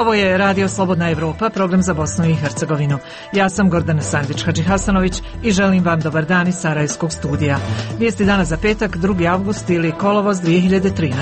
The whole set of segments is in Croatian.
Ovo je Radio Slobodna Evropa, program za Bosnu i Hercegovinu. Ja sam Gordana Sandić-Hadžihasanović i želim vam dobar dan iz Sarajevskog studija. Vijesti dana za petak, 2. avgust ili kolovoz 2013.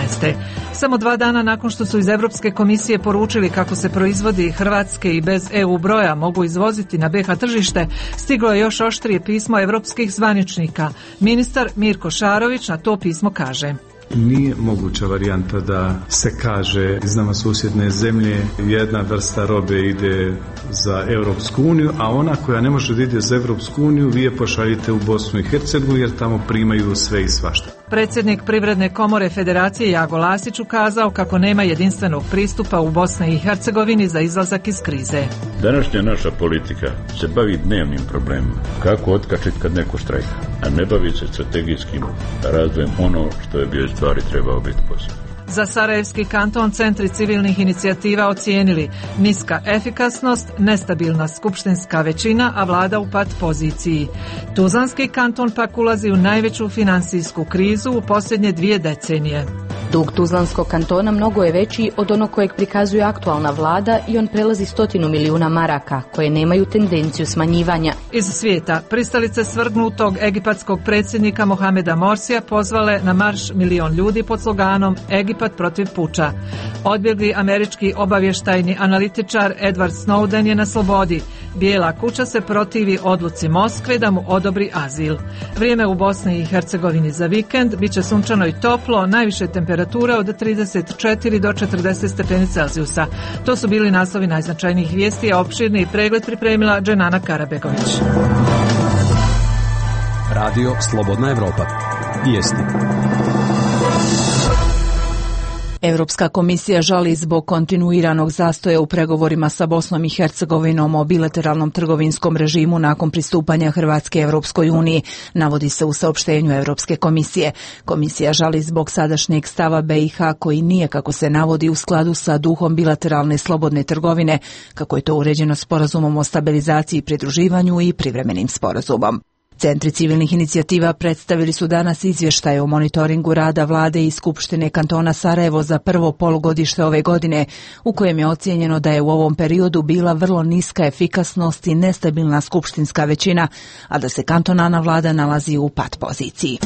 Samo 2 dana nakon što su iz Europske komisije poručili kako se proizvodi hrvatske i bez EU broja mogu izvoziti na BiH tržište, stiglo je još oštrije pismo evropskih zvaničnika. Ministar Mirko Šarović na to pismo kaže: Nije moguća varijanta da se kaže iz nama susjedne zemlje jedna vrsta robe ide za Europsku uniju, a ona koja ne može da ide za Europsku uniju vi je pošaljite u Bosnu i Hercegovinu jer tamo primaju sve i svašta. Predsjednik Privredne komore Federacije Jago Lasić ukazao kako nema jedinstvenog pristupa u Bosni i Hercegovini za izlazak iz krize. Današnja naša politika se bavi dnevnim problemima. Kako otkačiti kad neko štrajka, a ne bavi se strategijskim razvojem ono što je bio stvari trebao biti posao. Za Sarajevski kanton centri civilnih inicijativa ocijenili niska efikasnost, nestabilna skupštinska većina, a vlada u pat poziciji. Tuzlanski kanton pak ulazi u najveću finansijsku krizu u posljednje 2 decenije. Dug Tuzlanskog kantona mnogo je veći od onog kojeg prikazuje aktualna vlada i on prelazi 100 milijuna maraka, koje nemaju tendenciju smanjivanja. Iz svijeta pristalice svrgnutog egipatskog predsjednika Mohameda Morsija pozvale na marš 1 milion ljudi pod sloganom Egipat protiv puča. Odbjegli američki obavještajni analitičar Edward Snowden je na slobodi. Bijela kuća se protivi odluci Moskve da mu odobri azil. Vrijeme u Bosni i Hercegovini za vikend biće sunčano i toplo, najviše temperature od 34 do 40 stepeni Celzijusa. To su bili naslovi najznačajnijih vijesti, a opširni pregled pripremila Dženana Karabegović. Radio Slobodna Evropa. Vijesti. Europska komisija žali zbog kontinuiranog zastoja u pregovorima sa Bosnom i Hercegovinom o bilateralnom trgovinskom režimu nakon pristupanja Hrvatske Europskoj uniji, navodi se u saopštenju Europske komisije. Komisija žali zbog sadašnjeg stava BiH koji nije, kako se navodi, u skladu sa duhom bilateralne slobodne trgovine, kako je to uređeno sporazumom o stabilizaciji i pridruživanju i privremenim sporazumom. Centri civilnih inicijativa predstavili su danas izvještaje o monitoringu rada vlade i Skupštine kantona Sarajevo za prvo polugodište ove godine, u kojem je ocijenjeno da je u ovom periodu bila vrlo niska efikasnost i nestabilna skupštinska većina, a da se kantonalna vlada nalazi u pat poziciji.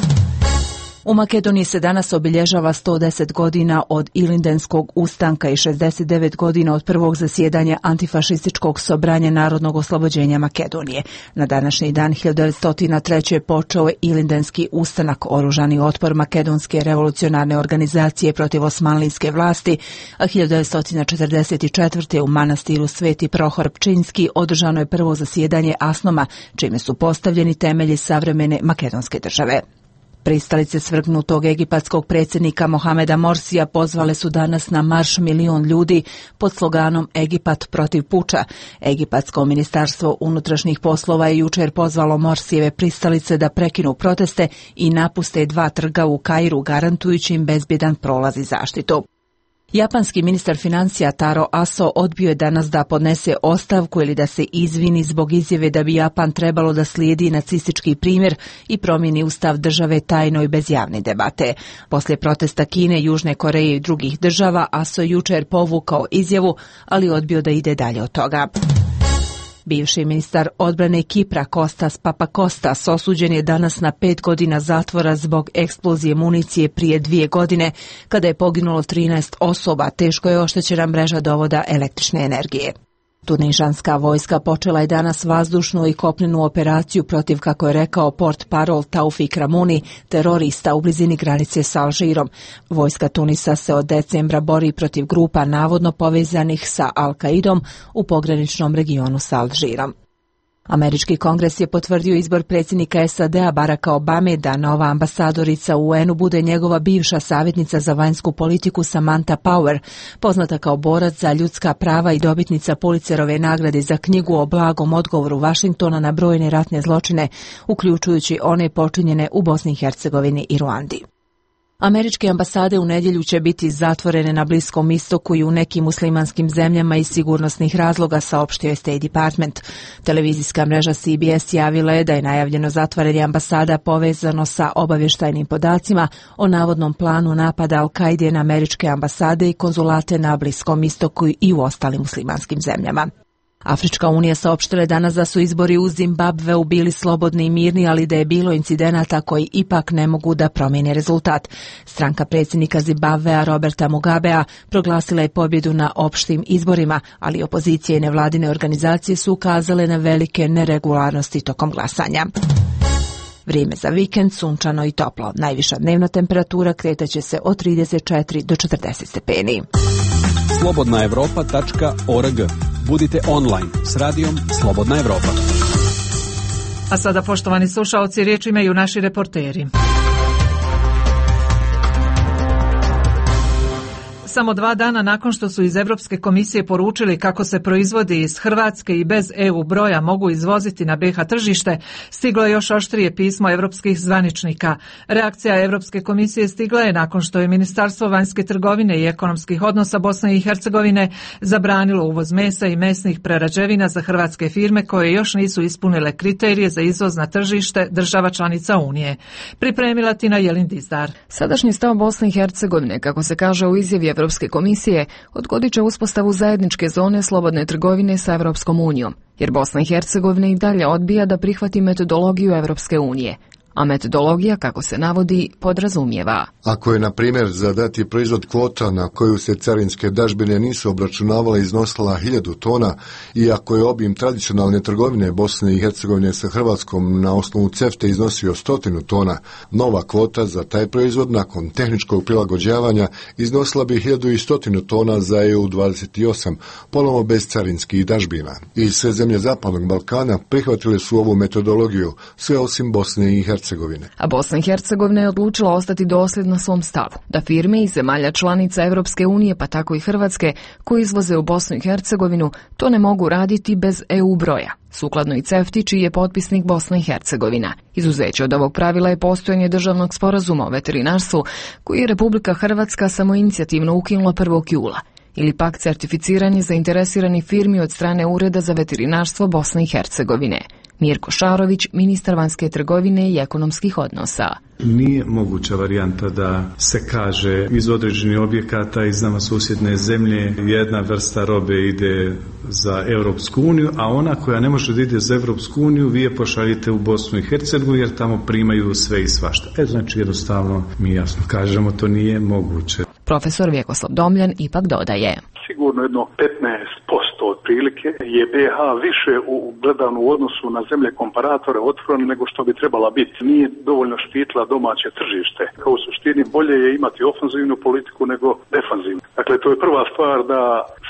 U Makedoniji se danas obilježava 110 godina od Ilindenskog ustanka i 69 godina od prvog zasjedanja antifašističkog sobranja narodnog oslobođenja Makedonije. Na današnji dan 1903. počeo je Ilindenski ustanak, oružani otpor makedonske revolucionarne organizacije protiv osmanlijske vlasti, a 1944. u manastiru Sveti Prohor Pčinjski održano je prvo zasjedanje Asnoma, čime su postavljeni temelji savremene makedonske države. Pristalice svrgnutog egipatskog predsjednika Mohameda Morsija pozvale su danas na marš 1 milion ljudi pod sloganom Egipat protiv puča. Egipatsko ministarstvo unutrašnjih poslova je jučer pozvalo Morsijeve pristalice da prekinu proteste i napuste 2 trga u Kairu, garantujući im bezbjedan prolaz i zaštitu. Japanski ministar financija Taro Aso odbio je danas da podnese ostavku ili da se izvini zbog izjave da bi Japan trebalo da slijedi nacistički primjer i promijeni ustav države tajno i bez javne debate. Poslije protesta Kine, Južne Koreje i drugih država, Aso je jučer povukao izjavu, ali odbio da ide dalje od toga. Bivši ministar odbrane Kipra Kostas Papakostas osuđen je danas na 5 godina zatvora zbog eksplozije municije prije 2 godine, kada je poginulo 13 osoba, teško je oštećena mreža dovoda električne energije. Tunižanska vojska počela je danas vazdušnu i kopnenu operaciju protiv, kako je rekao portparol Taufik Ramuni, terorista u blizini granice s Alžirom. Vojska Tunisa se od decembra bori protiv grupa navodno povezanih sa Al-Qaidom u pograničnom regionu s Alžirom. Američki kongres je potvrdio izbor predsjednika SAD-a Baracka Obame da nova ambasadorica u UN-u bude njegova bivša savjetnica za vanjsku politiku Samantha Power, poznata kao borac za ljudska prava i dobitnica Pulitzerove nagrade za knjigu o blagom odgovoru Washingtona na brojne ratne zločine, uključujući one počinjene u Bosni i Hercegovini i Ruandi. Američke ambasade u nedjelju će biti zatvorene na Bliskom istoku i u nekim muslimanskim zemljama iz sigurnosnih razloga, saopštio je State Department. Televizijska mreža CBS javila je da je najavljeno zatvaranje ambasada povezano sa obavještajnim podacima o navodnom planu napada Al-Kaide na američke ambasade i konzulate na Bliskom istoku i u ostalim muslimanskim zemljama. Afrička unija saopštila je danas da su izbori u Zimbabveu bili slobodni i mirni, ali da je bilo incidenata koji ipak ne mogu da promijene rezultat. Stranka predsjednika Zimbabvea Roberta Mugabea proglasila je pobjedu na opštim izborima, ali opozicije i nevladine organizacije su ukazale na velike neregularnosti tokom glasanja. Vrijeme za vikend, sunčano i toplo. Najviša dnevna temperatura kretaće se od 34 do 40 stepeni. slobodnaevropa.org. Budite online s radijom Slobodna Evropa. A sada, poštovani slušaoci, riječ imaju naši reporteri. Samo 2 dana nakon što su iz Europske komisije poručili kako se proizvodi iz Hrvatske i bez EU broja mogu izvoziti na BiH tržište, stiglo je još oštrije pismo europskih zvaničnika. Reakcija Europske komisije stigla je nakon što je Ministarstvo vanjske trgovine i ekonomskih odnosa Bosne i Hercegovine zabranilo uvoz mesa i mesnih prerađevina za hrvatske firme koje još nisu ispunile kriterije za izvoz na tržište država članica Unije. Pripremila Tina Jelin-Dizdar. Sadašnji stav Bosne i Hercegovine, kako se kaže u izjavi Europske komisije, odgodit će uspostavu zajedničke zone slobodne trgovine sa Europskom unijom, jer Bosna i Hercegovina i dalje odbija da prihvati metodologiju Europske unije. A metodologija, kako se navodi, podrazumijeva: ako je, na primjer, za dati proizvod kvota na koju se carinske dažbine nisu obračunavale iznosila 1000 tona i ako je obim tradicionalne trgovine Bosne i Hercegovine sa Hrvatskom na osnovu CEFTA iznosio 100 tona, nova kvota za taj proizvod nakon tehničkog prilagođavanja iznosila bi 1100 tona za EU28, ponovno bez carinskih dažbina. I sve zemlje Zapadnog Balkana prihvatile su ovu metodologiju, sve osim Bosne i Hercegovine. A Bosna i Hercegovina je odlučila ostati dosljedna svom stavu, da firme iz zemalja članica Europske unije, pa tako i Hrvatske, koji izvoze u Bosnu i Hercegovinu, to ne mogu raditi bez EU broja, sukladno i CEFTA, čiji je potpisnik Bosna i Hercegovina. Izuzeće od ovog pravila je postojanje državnog sporazuma o veterinarstvu, koji je Republika Hrvatska samoinicijativno ukinula 1. jula, ili pak certificiranje zainteresiranih firmi od strane Ureda za veterinarstvo Bosne i Hercegovine. Mirko Šarović, ministar vanjske trgovine i ekonomskih odnosa. Nije moguća varijanta da se kaže iz određenih objekata iz nama susjedne zemlje jedna vrsta robe ide za Europsku uniju, a ona koja ne može da ide za Europsku uniju vi je pošaljite u Bosnu i Hercegovinu jer tamo primaju sve i svašta. Znači jednostavno mi jasno kažemo to nije moguće. Profesor Vjekoslav Domljan ipak dodaje: sigurno jedno 15% otprilike je BiH više gledano u odnosu na zemlje komparatore otvoreno nego što bi trebala biti. Nije dovoljno štitila domaće tržište. Kao u suštini bolje je imati ofanzivnu politiku nego defanzivnu. Dakle, to je prva stvar, da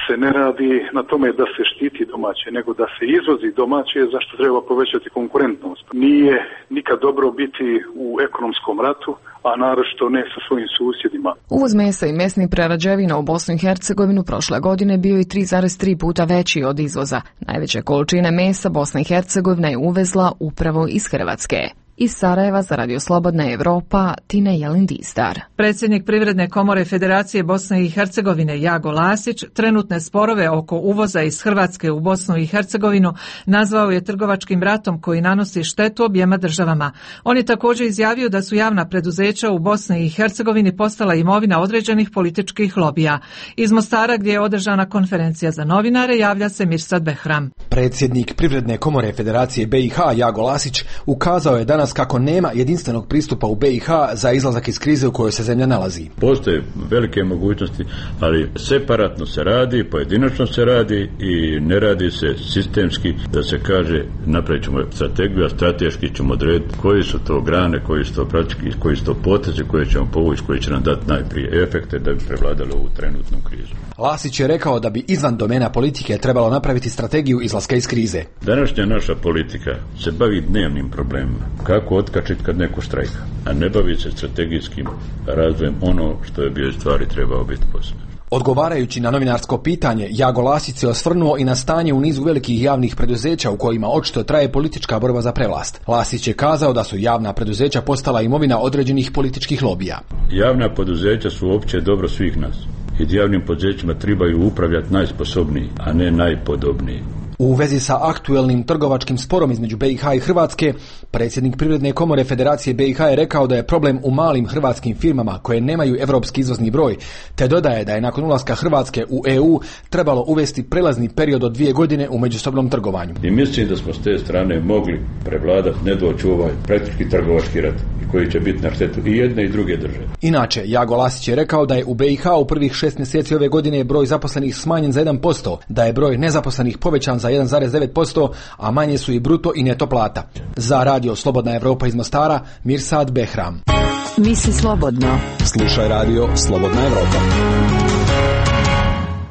se ne radi na tome da se štiti domaće, nego da se izvozi domaće, zašto treba povećati konkurentnost. Nije nikad dobro biti u ekonomskom ratu, a naročito ne sa svojim susjedima. Uvoz mesa i mesnih prerađevina u Bosnu i Hercegovinu prošle godine bio je 3,3 puta veći od izvoza. Najveće količine mesa Bosna i Hercegovina je uvezla upravo iz Hrvatske. Iz Sarajeva za Radio Slobodna Evropa, Tina Jelin-Dizdar. Predsjednik Privredne komore Federacije Bosne i Hercegovine Jago Lasić trenutne sporove oko uvoza iz Hrvatske u Bosnu i Hercegovinu nazvao je trgovačkim ratom koji nanosi štetu objema državama. On je također izjavio da su javna preduzeća u Bosni i Hercegovini postala imovina određenih političkih lobija. Iz Mostara, gdje je održana konferencija za novinare, javlja se Mirsad Behram. Predsjednik Privredne komore Federacije BiH Jago Lasić ukazao je danas kako nema jedinstvenog pristupa u BiH za izlazak iz krize u kojoj se zemlja nalazi. Postoje velike mogućnosti, ali separatno se radi, pojedinačno se radi i ne radi se sistemski, da se kaže napravit ćemo strategiju, a strateški ćemo odrediti koji su to grane, koji su to praktički, koji su to potezi koje ćemo povući, koji će nam dati najprije efekte da bi prevladali ovu trenutnu krizu. Lasić je rekao da bi izvan domena politike trebalo napraviti strategiju izlaska iz krize. Današnja naša politika se bavi dnevnim problemima. Kako otkačiti kad neko štrajka, a ne bavi se strategijskim razvojem ono što je bio stvari trebao biti posebno. Odgovarajući na novinarsko pitanje, Jago Lasić se osvrnuo i na stanje u nizu velikih javnih preduzeća u kojima očito traje politička borba za prevlast. Lasić je kazao da su javna preduzeća postala imovina određenih političkih lobija. Javna poduzeća su opće dobro svih nas. I javnim poduzećima trebaju upravljati najsposobniji, a ne najpodobniji. U vezi sa aktuelnim trgovačkim sporom između BiH i Hrvatske, predsjednik Privredne komore Federacije BiH je rekao da je problem u malim hrvatskim firmama koje nemaju europski izvozni broj, te dodaje da je nakon ulaska Hrvatske u EU trebalo uvesti prelazni period od 2 godine u međusobnom trgovanju. I mislim da smo s te strane mogli prevladati, ne doći u ovaj praktički trgovački rat koji će biti na štetu i jedne i druge države. Inače, Jago Lasić je rekao da je u BiH u prvih 6 mjeseci ove godine broj zaposlenih smanjen za 1%, da je broj nezaposlenih povećan za 1,9%, a manje su i bruto i neto plata. Za radio Slobodna Evropa iz Mostara, Mirsad Behram. Misli slobodno. Slušaj radio Slobodna Evropa.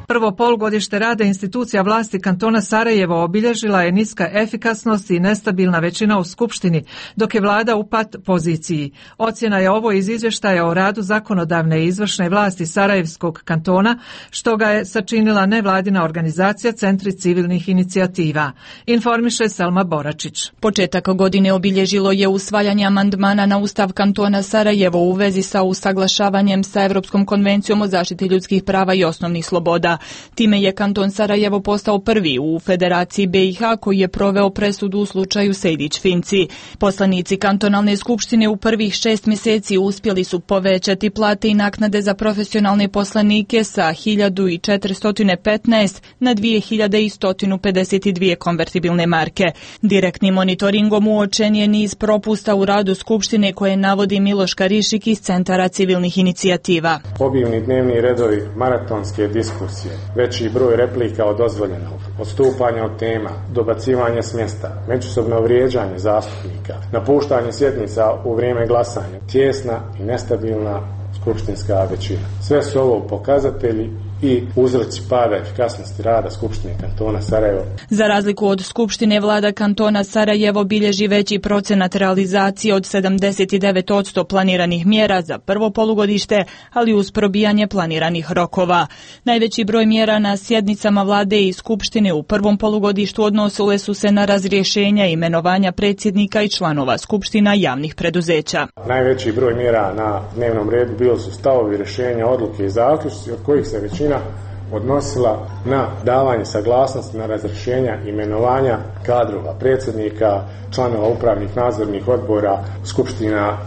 Prvo polugodište rada institucija vlasti kantona Sarajevo obilježila je niska efikasnost i nestabilna većina u Skupštini, dok je vlada u pat poziciji. Ocjena je ovo iz izvještaja o radu zakonodavne i izvršne vlasti Sarajevskog kantona, što ga je sačinila nevladina organizacija Centri civilnih inicijativa. Informiše Selma Boračić. Početak godine obilježilo je usvajanje amandmana na Ustav kantona Sarajevo u vezi sa usaglašavanjem sa Europskom konvencijom o zaštiti ljudskih prava i osnovnih sloboda. Time je kanton Sarajevo postao prvi u Federaciji BiH koji je proveo presudu u slučaju Sejdić-Finci. Poslanici kantonalne skupštine u prvih 6 mjeseci uspjeli su povećati plate i naknade za profesionalne poslanike sa 1415 na 2152 konvertibilne marke. Direktnim monitoringom uočen je niz propusta u radu skupštine koje navodi Miloš Karišik iz Centara civilnih inicijativa. Obimni dnevni redovi, maratonske diskusije, veći broj replika od dozvoljenog, odstupanja od tema, dobacivanje s mjesta, međusobno vrijeđanje zastupnika, napuštanje sjednica u vrijeme glasanja, tijesna i nestabilna skupštinska većina. Sve su ovo pokazatelji i uzroci pada efikasnosti rada Skupštine kantona Sarajevo. Za razliku od Skupštine, vlada kantona Sarajevo bilježi veći procenat realizacije od 79% planiranih mjera za prvo polugodište, ali uz probijanje planiranih rokova. Najveći broj mjera na sjednicama vlade i Skupštine u prvom polugodištu odnosile su se na razrješenja i imenovanja predsjednika i članova Skupština javnih preduzeća. Najveći broj mjera na dnevnom redu bili su stavovi, rješenja, odluke i zaključci od kojih se većina odnosila na davanje saglasnosti na razrješenja imenovanja kadrova predsjednika, članova upravnih nadzornih odbora, skupština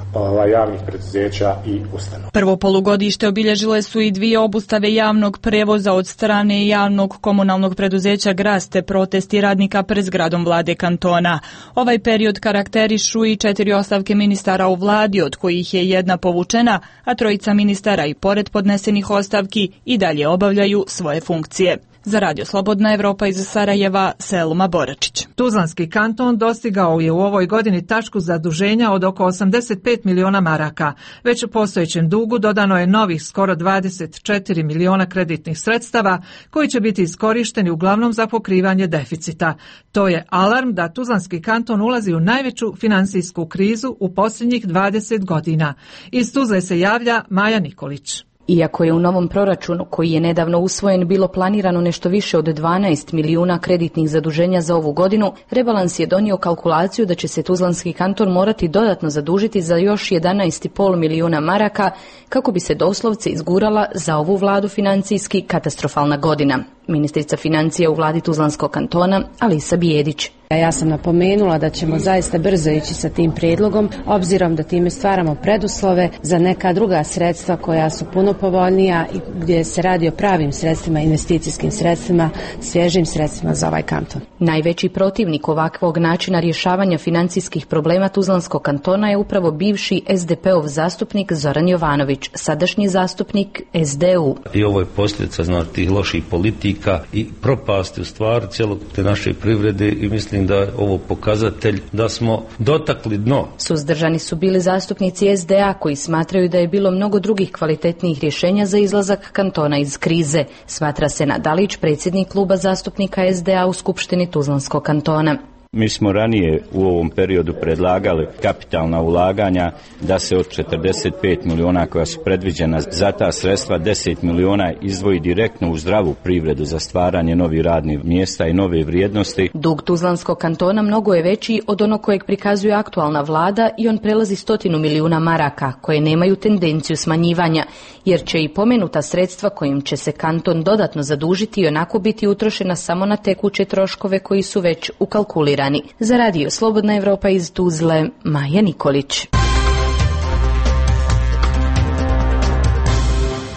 javnih preduzeća i ustanova. Prvo polugodište obilježile su i 2 obustave javnog prevoza od strane javnog komunalnog preduzeća Gras te protesti radnika pred zgradom vlade kantona. Ovaj period karakterišu i 4 ostavke ministara u vladi, od kojih je 1 povučena, a 3 ministara i pored podnesenih ostavki i dalje obavljaju svoje funkcije. Za radio Slobodna Evropa iz Sarajeva, Selma Boračić. Tuzlanski kanton dostigao je u ovoj godini tačku zaduženja od oko 85 miliona maraka. Već u postojećem dugu dodano je novih skoro 24 miliona kreditnih sredstava koji će biti iskorišteni uglavnom za pokrivanje deficita. To je alarm da Tuzlanski kanton ulazi u najveću finansijsku krizu u posljednjih 20 godina. Iz Tuzle se javlja Maja Nikolić. Iako je u novom proračunu, koji je nedavno usvojen, bilo planirano nešto više od 12 milijuna kreditnih zaduženja za ovu godinu, rebalans je donio kalkulaciju da će se Tuzlanski kanton morati dodatno zadužiti za još 11,5 milijuna maraka kako bi se doslovce izgurala za ovu vladu financijski katastrofalna godina. Ministrica financija u vladi Tuzlanskog kantona, Alisa Bijedić. Ja sam napomenula da ćemo zaista brzo ići sa tim prijedlogom, obzirom da time stvaramo preduslove za neka druga sredstva koja su puno povoljnija i gdje se radi o pravim sredstvima, investicijskim sredstvima, svježim sredstvima za ovaj kanton. Najveći protivnik ovakvog načina rješavanja financijskih problema Tuzlanskog kantona je upravo bivši SDP-ov zastupnik Zoran Jovanović, sadašnji zastupnik SDU. I ovo je posljedica tih loših politika i propasti u stvari cijelog te naše privrede i mislim da je ovo pokazatelj da smo dotakli dno. Suzdržani su bili zastupnici SDA koji smatraju da je bilo mnogo drugih kvalitetnijih rješenja za izlazak kantona iz krize, smatra Senad Dalić, predsjednik kluba zastupnika SDA u Skupštini Tuzlanskog kantona. Mi smo ranije u ovom periodu predlagali kapitalna ulaganja da se od 45 miliona koja su predviđena za ta sredstva 10 miliona izdvoji direktno u zdravu privredu za stvaranje novih radnih mjesta i nove vrijednosti. Dug Tuzlanskog kantona mnogo je veći od onog kojeg prikazuje aktualna vlada i on prelazi 100 milijuna maraka koje nemaju tendenciju smanjivanja, jer će i pomenuta sredstva kojim će se kanton dodatno zadužiti i onako biti utrošena samo na tekuće troškove koji su već ukalkulirani. Za radio Slobodna Evropa iz Tuzle, Maja Nikolić.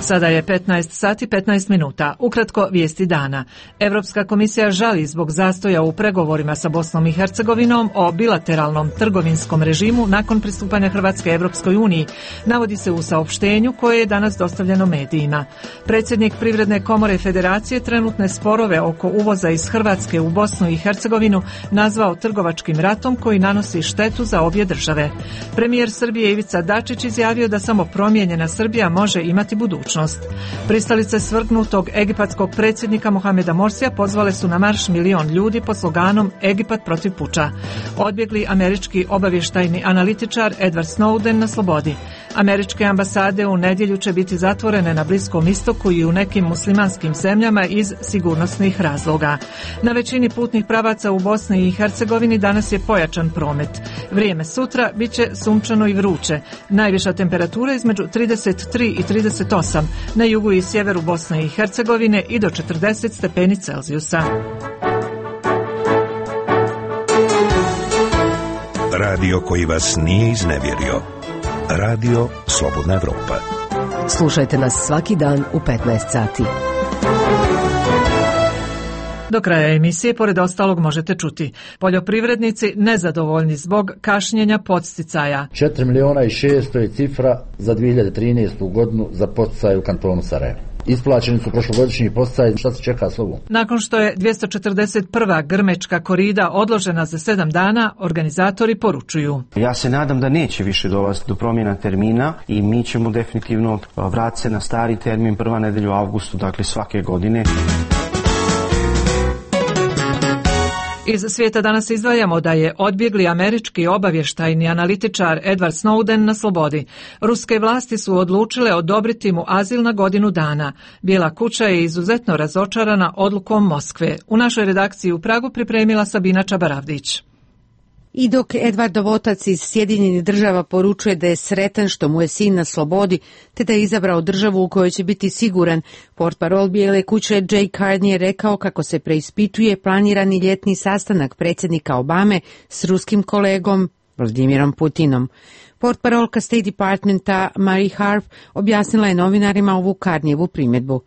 Sada je 15 sati 15 minuta. Ukratko vijesti dana. Europska komisija žali zbog zastoja u pregovorima sa Bosnom i Hercegovinom o bilateralnom trgovinskom režimu nakon pristupanja Hrvatske Europskoj uniji, navodi se u saopštenju koje je danas dostavljeno medijima. Predsjednik Privredne komore Federacije trenutne sporove oko uvoza iz Hrvatske u Bosnu i Hercegovinu nazvao trgovačkim ratom koji nanosi štetu za obje države. Premijer Srbije Ivica Dačić izjavio da samo promijenjena Srbija može imati budućnost. Pristalice svrgnutog egipatskog predsjednika Mohameda Morsija pozvale su na marš milion ljudi pod sloganom Egipat protiv puča. Odbjegli američki obavještajni analitičar Edward Snowden na slobodi. Američke ambasade u nedjelju će biti zatvorene na Bliskom istoku i u nekim muslimanskim zemljama iz sigurnosnih razloga. Na većini putnih pravaca u Bosni i Hercegovini danas je pojačan promet. Vrijeme sutra bit će sunčano i vruće. Najviša temperatura između 33 i 38, na jugu i sjeveru Bosne i Hercegovine i do 40 stepeni Celzijusa. Radio koji vas nije iznevjerio. Radio Slobodna Evropa. Slušajte nas svaki dan u 15 sati. Do kraja emisije, pored ostalog, možete čuti: poljoprivrednici nezadovoljni zbog kašnjenja podsticaja. 4 miliona i 600 je cifra za 2013. godinu za podsticaje u kantonu Sarajevo. Isplaćeni su prošlogodišnji podsticaji, šta se čeka s ovom? Nakon što je 241. grmečka korida odložena za 7 dana, organizatori poručuju: ja se nadam da neće više dolaziti do promjena termina i mi ćemo definitivno vratiti se na stari termin prva nedelja u avgustu, dakle svake godine. Iz svijeta danas izdvajamo da je odbjegli američki obavještajni analitičar Edward Snowden na slobodi. Ruske vlasti su odlučile odobriti mu azil na godinu dana. Bijela kuća je izuzetno razočarana odlukom Moskve. U našoj redakciji u Pragu pripremila Sabina Čabaravdić. I dok Edvardov otac iz Sjedinjenih Država poručuje da je sretan što mu je sin na slobodi, te da je izabrao državu u kojoj će biti siguran, portparol Bijele kuće Jay Carney je rekao kako se preispituje planirani ljetni sastanak predsjednika Obame s ruskim kolegom Vladimirom Putinom. Portparolka State Departmenta Marie Harf objasnila je novinarima ovu Carneyevu primjedbu.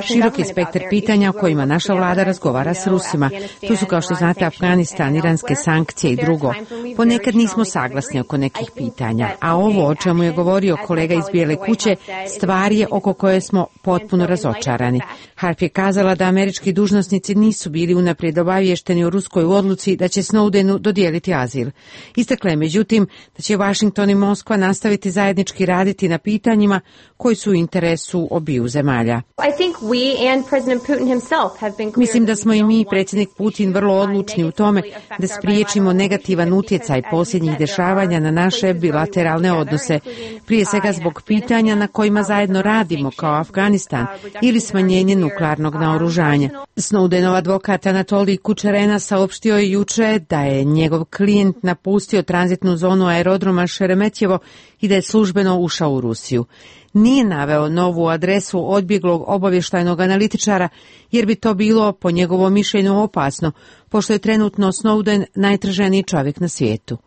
Širok je spektar pitanja o kojima naša vlada razgovara s Rusima. Tu su, kao što znate, Afganistan, iranske sankcije i drugo. Ponekad nismo saglasni oko nekih pitanja, a ovo o čemu je govorio kolega iz Bijele kuće stvar je oko koje smo potpuno razočarani. Harf je kazala da američki dužnosnici nisu bili unaprijed obavješteni o ruskoj odluci da će Snowdenu dodijeliti azil. Istakla je međutim da će Washington i Moskva nastaviti zajednički raditi na pitanjima koji su u interesu obiju zemalja. Mislim da smo i mi, predsjednik Putin, vrlo odlučni u tome da spriječimo negativan utjecaj posljednjih dešavanja na naše bilateralne odnose, prije svega zbog pitanja na kojima zajedno radimo kao Afganistan ili smanjenje nuklearnog naoružanja. Snowdenov advokat Anatolij Kučerena saopštio je juče da je njegov klijent napustio tranzitnu zonu aerodroma Šeremetjevo i da je službeno ušao u Rusiju. Nije naveo novu adresu odbjeglog obavještajnog analitičara, jer bi to bilo, po njegovom mišljenju, opasno, pošto je trenutno Snowden najtraženiji čovjek na svijetu.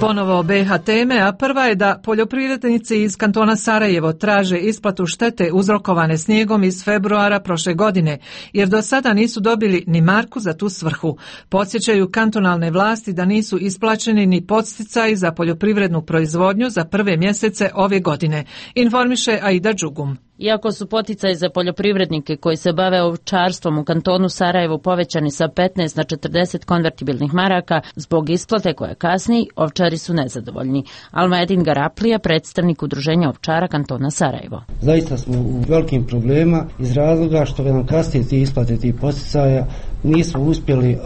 Ponovo BiH teme, a prva je da poljoprivrednici iz kantona Sarajevo traže isplatu štete uzrokovane snijegom iz februara prošle godine, jer do sada nisu dobili ni marku za tu svrhu. Podsjećaju kantonalne vlasti da nisu isplaćeni ni podsticaji za poljoprivrednu proizvodnju za prve mjesece ove godine, informiše Aida Đugum. Iako su poticaji za poljoprivrednike koji se bave ovčarstvom u kantonu Sarajevo povećani sa 15 na 40 konvertibilnih maraka, zbog isplate koja kasni, ovčari su nezadovoljni. Almedin Garaplija, predstavnik udruženja ovčara kantona Sarajevo. Zaista smo u velikim problema iz razloga što nam kasnije ti isplate tih poticaja nismo uspjeli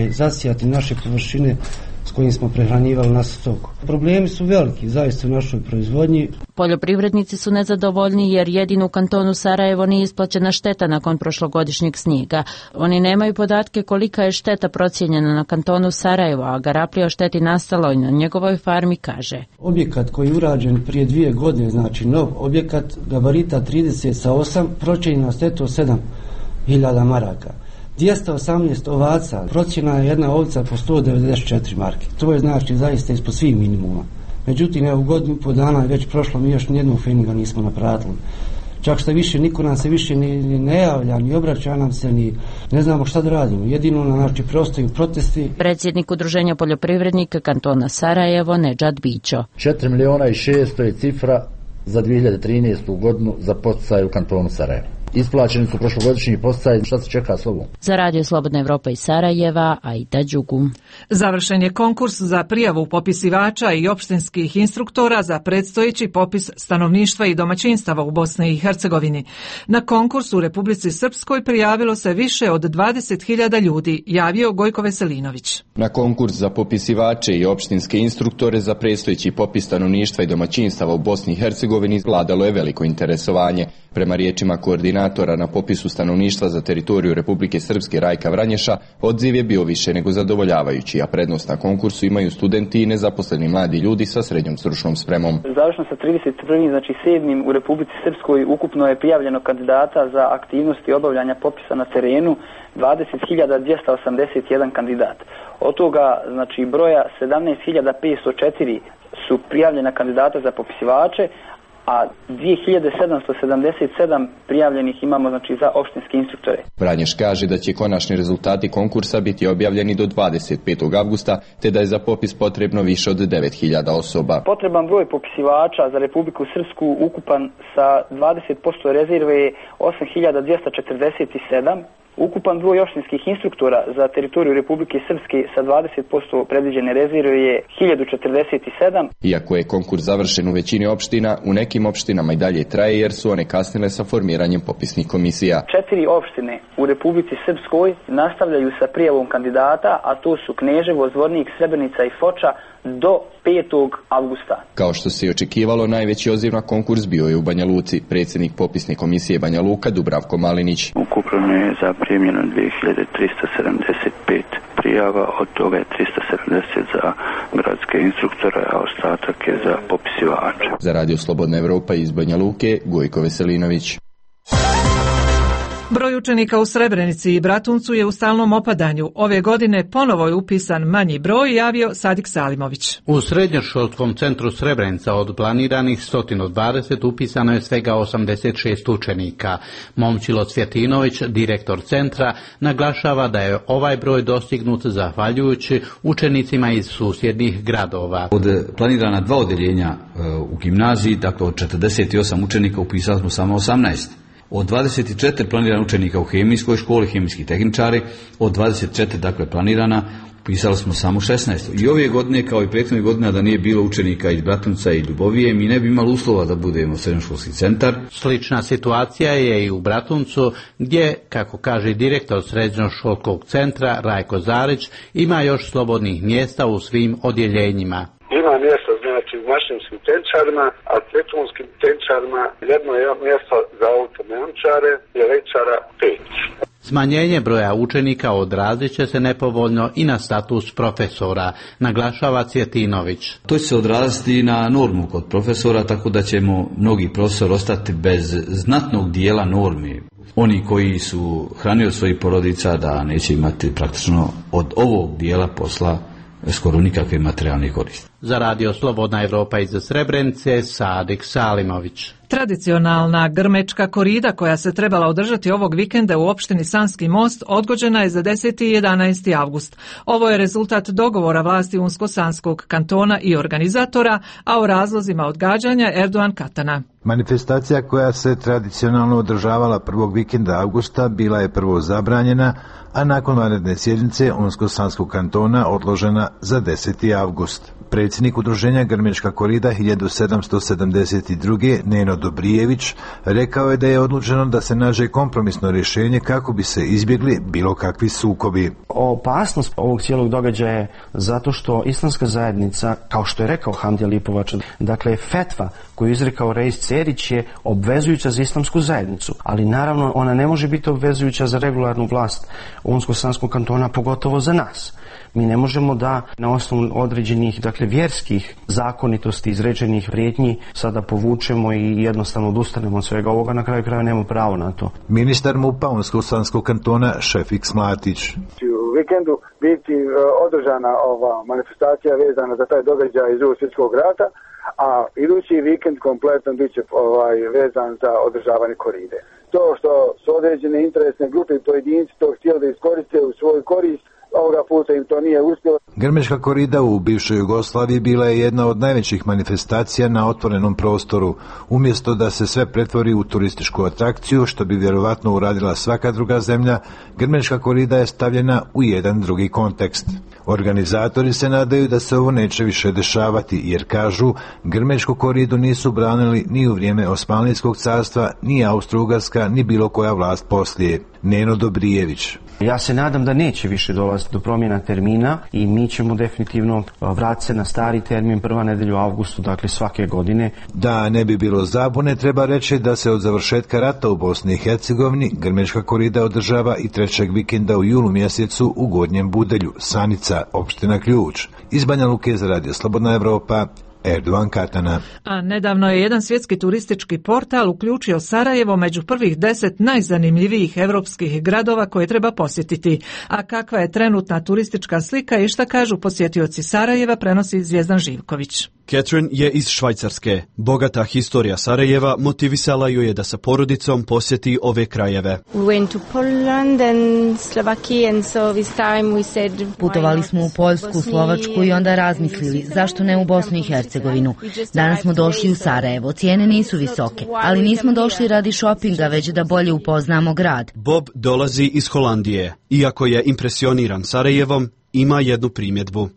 zasijati naše površine s kojim smo prehranjivali naš stoku. Problemi su veliki, zaista u našoj proizvodnji. Poljoprivrednici su nezadovoljni jer jedino u kantonu Sarajevo nije isplaćena šteta nakon prošlogodišnjeg snijega. Oni nemaju podatke kolika je šteta procijenjena na kantonu Sarajevo, a Garaplija o šteti nastalo i na njegovoj farmi kaže. Objekat koji je urađen prije 2 godine, znači nov objekat, gabarita 30/8, procijenjena štetu 7.000 maraka. 218 ovaca, procjena je jedna ovica po 194 marke. To je znači zaista ispod svih minimuma. Međutim, evo godinu po dana je već prošlo, mi još nijednu feniga nismo napratili. Čak što više, niko nam se više ni ne javlja, ni obraća nam se, ni ne znamo šta da radimo. Jedino nam preostaju protesti. Predsjednik udruženja poljoprivrednika kantona Sarajevo, Nedžad Bićo. 4.600.000 je cifra za 2013. godinu za poticaje u kantonu Sarajevo. Isplaćeni su prošlogodišnji poticaji. Šta se čeka slovo? Za Radio Slobodna Evropa iz Sarajeva, Aida Đugu. Završen je konkurs za prijavu popisivača i opštinskih instruktora za predstojeći popis stanovništva i domaćinstava u Bosni i Hercegovini. Na konkursu u Republici Srpskoj prijavilo se više od 20.000 ljudi, javio Gojko Veselinović. Na konkurs za popisivače i opštinske instruktore za predstojeći popis stanovništva i domaćinstava u Bosni i Hercegovini vladalo je veliko interesovanje. Prema riječima koordinatora na popisu stanovništva za teritoriju Republike Srpske Rajka Vranješa, odziv je bio više nego zadovoljavajući, a prednost na konkursu imaju studenti i nezaposleni mladi ljudi sa srednjom stručnom spremom. Završno sa 31. znači 7. u Republici Srpskoj ukupno je prijavljeno kandidata za aktivnosti obavljanja popisa na terenu 20.281 kandidat. Od toga znači broja 17.504 su prijavljena kandidata za popisivače, a 2.777 prijavljenih imamo znači za opštinske instruktore. Vranješ kaže da će konačni rezultati konkursa biti objavljeni do 25. avgusta, te da je za popis potrebno više od 9.000 osoba. Potreban broj popisivača za Republiku Srpsku ukupan sa 20% rezerve je 8.247. Ukupan broj opštinskih instruktora za teritoriju Republike Srpske sa 20% predviđene rezerve je 1047. Iako je konkurs završen u većini opština, u nekim opštinama i dalje traje jer su one kasnile sa formiranjem popisnih komisija. 4 opštine u Republici Srpskoj nastavljaju sa prijavom kandidata, a to su Kneževo, Zvornik, Srebrenica i Foča do 5. avgusta. Kao što se i očekivalo, najveći odziv na konkurs bio je u Banja Luci. Predsjednik popisne komisije Banja Luka Dubravko Malinić. Ukupno je zaprimljeno 2.375 prijava, od toga je 370 za gradske instruktore, a ostatak je za popisivače. Za Radio Slobodna Evropa iz Banja Luke, Gojko Veselinović. Broj učenika u Srebrenici i Bratuncu je u stalnom opadanju. Ove godine ponovo je upisan manji broj, javio Sadik Salimović. U srednjoškolskom centru Srebrenica od planiranih 120 upisano je svega 86 učenika. Momčilo Cvjetinović, direktor centra, naglašava da je ovaj broj dostignut zahvaljujući učenicima iz susjednih gradova. Od planirana 2 odjeljenja u gimnaziji, dakle od 48 učenika upisali smo samo 18. Od 24 planirana učenika u hemijskoj školi, hemijski tehničari, od 24 dakle planirana, upisali smo samo 16. I ove godine, kao i prethodne godine, da nije bilo učenika iz Bratunca i Ljubovije, mi ne bi imali uslova da budemo srednjoškolski centar. Slična situacija je i u Bratuncu, gdje, kako kaže direktor srednjoškolskog centra Rajko Zarić, ima još slobodnih mjesta u svim odjeljenjima. Ima mjesta znači u mašinskim tenčarima, a betonskim tenčarima jedno je mjesto za automenčare i električara 5. Smanjenje broja učenika odrazit će se nepovoljno i na status profesora, naglašava Cvjetinović. To će se odraziti na normu kod profesora, tako da ćemo mnogi profesori ostati bez znatnog dijela normi. Oni koji su hranili svojih porodica da neće imati praktično od ovog dijela posla skoro nikakve materijalne koristi. Za Radio Slobodna Evropa iz Srebrenice, Sadik Salimović. Tradicionalna grmečka korida koja se trebala održati ovog vikenda u opštini Sanski Most odgođena je za 10. i 11. avgust. Ovo je rezultat dogovora vlasti Unsko-Sanskog kantona i organizatora, a o razlozima odgađanja Erdogan Katana. Manifestacija koja se tradicionalno održavala prvog vikenda avgusta bila je prvo zabranjena, a nakon vanredne sjednice Unsko-Sanskog kantona odložena za 10. avgust. Predsjednik udruženja Grmečka korida 1772. Neno Dobrijević rekao je da je odlučeno da se nađe kompromisno rješenje kako bi se izbjegli bilo kakvi sukobi. Opasnost ovog cijelog događaja je zato što islamska zajednica, kao što je rekao Hamdija Lipovac, dakle fetva koju je izrekao Reis Cerić je obvezujuća za islamsku zajednicu, ali naravno ona ne može biti obvezujuća za regularnu vlast Unsko-Sanskog kantona, pogotovo za nas. Mi ne možemo da na osnovu određenih, dakle, vjerskih zakonitosti, izrečenih prijetnji sada povučemo i jednostavno odustanemo od svega ovoga, na kraju kraja nemamo pravo na to. Ministar MUP-a Unsko-Sanskog kantona Šefik Smlatić. U vikendu biti održana ova manifestacija vezana za taj događaj iz Drugog svjetskog rata, a idući vikend kompletno bit će vezan za održavanje koride. To što su određene interesne grupe i pojedinci to htjeli da iskoriste u svoju korist, ovoga puta im to nije uspjelo. Grmečka korida u bivšoj Jugoslaviji bila je jedna od najvećih manifestacija na otvorenom prostoru. Umjesto da se sve pretvori u turističku atrakciju, što bi vjerovatno uradila svaka druga zemlja, Grmečka korida je stavljena u jedan drugi kontekst. Organizatori se nadaju da se ovo neće više dešavati, jer kažu, Grmečku koridu nisu branili ni u vrijeme Osmanlijskog carstva, ni Austro-Ugarska, ni bilo koja vlast poslije. Neno Dobrijević. Ja se nadam da neće više dolaziti do promjena termina i mi ćemo definitivno vratiti se na stari termin prva nedelja u avgustu, dakle svake godine. Da ne bi bilo zabune, treba reći da se od završetka rata u Bosni i Hercegovini Grmečka korida održava i trećeg vikenda u julu mjesecu u Gornjem Budelju, Sanica, opština Ključ. Iz Banja Luke za Radio Slobodna Evropa, Erdogan Katana. A nedavno je jedan svjetski turistički portal uključio Sarajevo među prvih 10 najzanimljivijih europskih gradova koje treba posjetiti. A kakva je trenutna turistička slika i šta kažu posjetioci Sarajeva, prenosi Zvjezdan Živković. Catherine je iz Švajcarske. Bogata historija Sarajeva motivisala ju je da sa porodicom posjeti ove krajeve. Putovali smo u Poljsku, Slovačku i onda razmislili zašto ne u Bosnu i Hercegovinu. Danas smo došli u Sarajevo, cijene nisu visoke, ali nismo došli radi šopinga, već da bolje upoznamo grad. Bob dolazi iz Holandije. Iako je impresioniran Sarajevom, ima jednu primjedbu.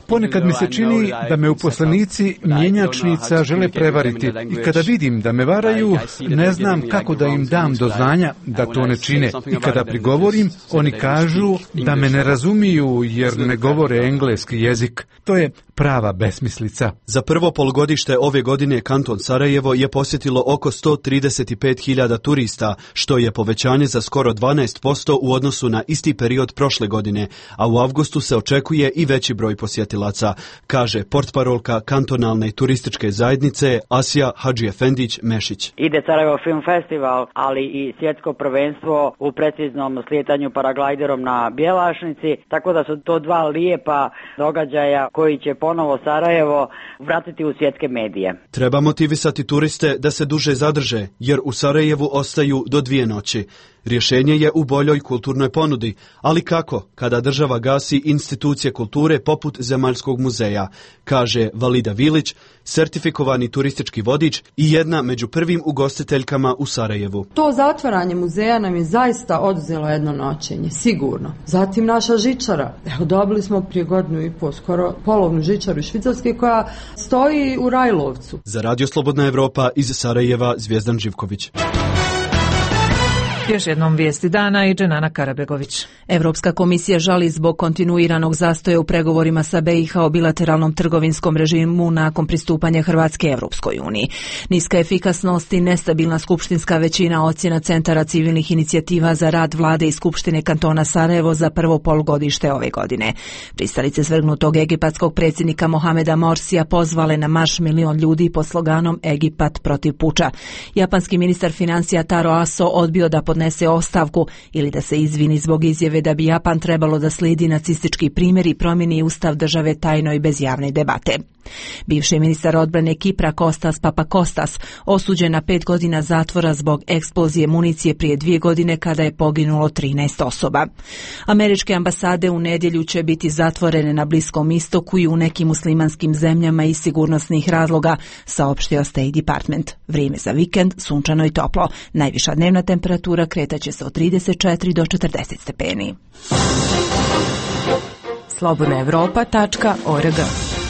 Ponekad mi se čini da me uposlenici mjenjačnica žele prevariti i kada vidim da me varaju, ne znam kako da im dam do znanja da to ne čine. I kada prigovorim, oni kažu da me ne razumiju jer ne govore engleski jezik. To je prava besmislica. Za prvo polugodište ove godine kanton Sarajevo je posjetilo oko 135.000 turista, što je povećanje za skoro 12% u odnosu na isti period prošle godine, a u avgustu se očekuje i veći broj posjetilaca, kaže portparolka kantonalne turističke zajednice Asija Hadžiefendić-Mešić. Ide Sarajevo Film Festival, ali i svjetsko prvenstvo u preciznom slijetanju paraglajderom na Bjelašnici, tako da su to dva lijepa događaja koji će ponovo Sarajevo vratiti u svjetske medije. Treba motivisati turiste da se duže zadrže, jer u Sarajevu ostaju do 2 noći. Rješenje je u boljoj kulturnoj ponudi, ali kako kada država gasi institucije kulture poput Zemaljskog muzeja, kaže Valida Vilić, sertifikovani turistički vodič i jedna među prvim ugostiteljkama u Sarajevu. To zatvaranje muzeja nam je zaista oduzelo jedno noćenje, sigurno. Zatim naša žičara. Evo, dobili smo prije 1.5 godina skoro polovnu žičaru iz Švicarske koja stoji u Rajlovcu. Za Radio Slobodna Evropa iz Sarajeva, Zvjezdan Živković. Još jednom vijesti dana i Dženana Karabegović. Evropska komisija žali zbog kontinuiranog zastoja u pregovorima sa BiH o bilateralnom trgovinskom režimu nakon pristupanja Hrvatske Evropskoj uniji. Niska efikasnost i nestabilna skupštinska većina, ocjena centara civilnih inicijativa za rad vlade i skupštine kantona Sarajevo za prvo polugodište ove godine. Pristalice svrgnutog egipatskog predsjednika Mohameda Morsija pozvale na marš 1 milion ljudi pod sloganom Egipat protiv puča. Japanski ministar financija Taro Aso odbio da pod podnese ostavku ili da se izvini zbog izjave da bi Japan trebalo da slijedi nacistički primjer i promijeni ustav države tajno i bez javne debate. Bivši ministar odbrane Kipra Kostas Papakostas osuđen na 5 godina zatvora zbog eksplozije municije prije 2 godine kada je poginulo 13 osoba. Američke ambasade u nedjelju će biti zatvorene na Bliskom istoku i u nekim muslimanskim zemljama iz sigurnosnih razloga, saopštio State Department. Vrijeme za vikend sunčano i toplo. Najviša dnevna temperatura kretaće se od 34 do 40 stepeni. slobodnaevropa.org.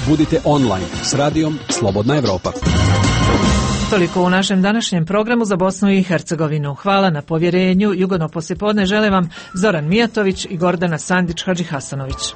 Budite online s radijom Slobodna Evropa. Toliko u našem današnjem programu za Bosnu i Hercegovinu. Hvala na povjerenju. Jugodno poslijepodne žele vam Zoran Mijatović i Gordana Sandić Hadžihasanović.